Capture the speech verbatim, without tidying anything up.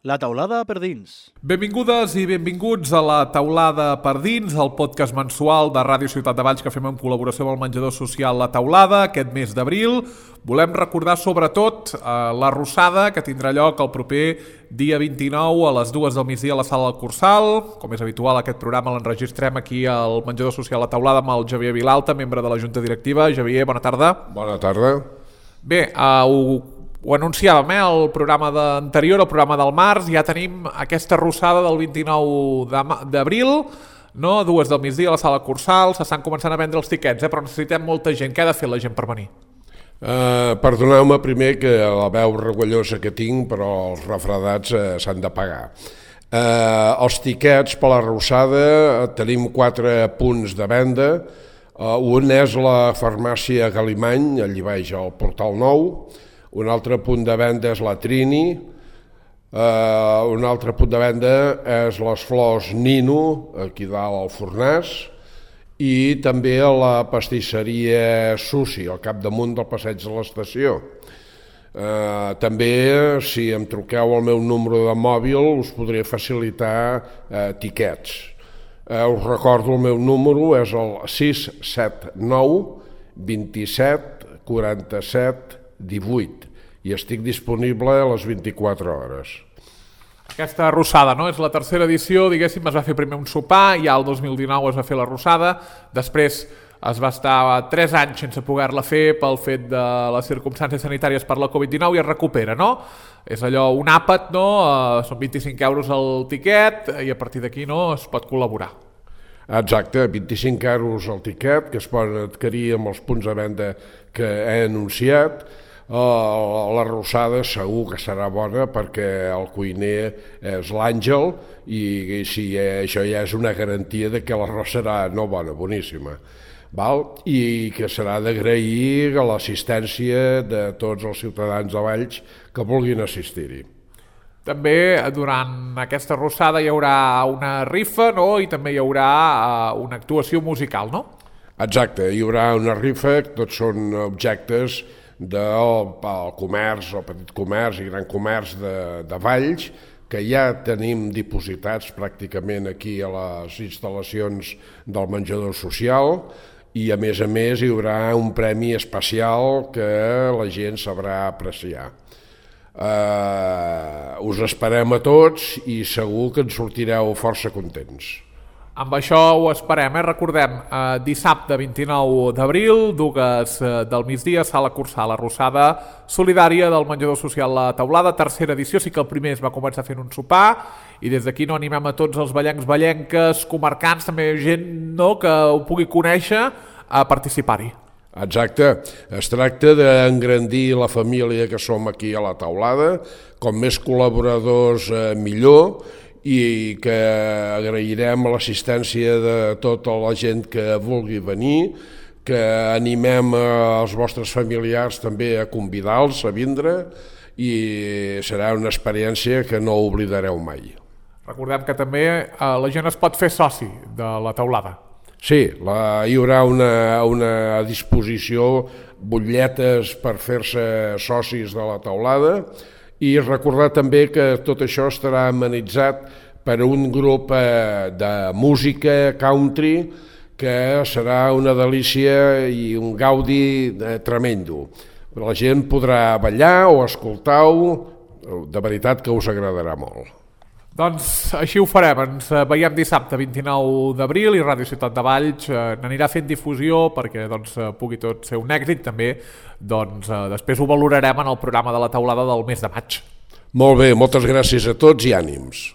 La taulada per dins. Benvingudes i benvinguts a La taulada per dins, el podcast mensual de Ràdio Ciutat de Valls que fem en col·laboració amb el menjador social La Taulada aquest mes d'abril. Volem recordar sobretot eh, la Rossada que tindrà lloc el proper dia vint-i-nou a les dues del migdia a la Sala del Cursal. Com és habitual, aquest programa l'enregistrem aquí al menjador social La Taulada amb el Javier Vilalta, membre de la Junta Directiva. Javier, bona tarda. Bona tarda. Bé, uh, ho, ho anunciàvem, eh, el programa anterior, el programa del març, ja tenim aquesta rossada del vint-i-nou d'abril, no? A dues del migdia a la Sala Cursal, s'estan començant a vendre els tiquets, eh, però necessitem molta gent. Què ha de fer la gent per venir? Uh, perdoneu-me primer que la veu regullosa que tinc, però els refredats uh, s'han de pagar. Uh, els tiquets per la rossada uh, tenim quatre punts de venda. Uh, un és la farmàcia Galimany, allí baix al Portal Nou. Un altre punt de venda és la Trini, uh, un altre punt de venda és les flors Nino, aquí dalt al Fornàs, i també a la pastisseria Susi, al capdamunt del passeig de l'estació. Uh, també, si em truqueu al meu número de mòbil, us podré facilitar uh, tiquets. Uh, us recordo el meu número, és el sis set nou vint-i-set quaranta-set divuit i estic disponible a les vint-i-quatre hores. Aquesta rossada, no? És la tercera edició, diguéssim, es va fer primer un sopar, ja el dos mil dinou es va fer la rossada, després es va estar tres anys sense poder-la fer pel fet de les circumstàncies sanitàries per la covid dinou i es recupera, no? És allò, un àpat, no? Uh, són vint-i-cinc euros el tiquet i a partir d'aquí, no, es pot col·laborar. Exacte, vint-i-cinc euros el tiquet, que es poden adquirir amb els punts de venda que he anunciat. Uh, la rossada segur que serà bona perquè el cuiner és l'Àngel i, i si això ja és una garantia de que l'arròs serà no bona, boníssima. Val? I que serà d'agrair l'assistència de tots els ciutadans de Valls que vulguin assistir-hi. També durant aquesta rossada hi haurà una rifa, no? I també hi haurà uh, una actuació musical, no? Exacte, hi haurà una rifa, tots són objectes del comerç, el petit comerç i gran comerç de, de Valls, que ja tenim dipositats pràcticament aquí a les instal·lacions del menjador social, i a més a més hi haurà un premi especial que la gent sabrà apreciar. Uh, us esperem a tots i segur que en sortireu força contents. Amb això ho esperem, eh? Recordem, eh, dissabte vint-i-nou d'abril, dues eh, del migdia, Sala Cursal, la rossada solidària del menjador social La Taulada, tercera edició. Sí que el primer es va començar fent un sopar i des d'aquí no animem a tots els vallencs, vallenques, comarcants, també gent, no, que ho pugui conèixer, a participar-hi. Exacte, es tracta d'engrandir la família que som aquí a La Taulada, com més col·laboradors eh, millor, i que agrairem l'assistència de tota la gent que vulgui venir, que animem els vostres familiars també a convidar-los a vindre i serà una experiència que no oblidareu mai. Recordem que també eh, la gent es pot fer soci de La Taulada. Sí, la, hi haurà una, una disposició, butlletes per fer-se socis de La Taulada, i recordar també que tot això estarà amenitzat per un grup eh, de música country que serà una delícia i un gaudi eh, tremendo. La gent podrà ballar o escoltar-ho, de veritat que us agradarà molt. Doncs així ho farem, ens veiem dissabte vint-i-nou d'abril i Ràdio Ciutat de Valls eh, n'anirà fent difusió perquè doncs, pugui tot ser un èxit. També doncs, eh, després ho valorarem en el programa de La Taulada del mes de maig. Molt bé, moltes gràcies a tots i ànims.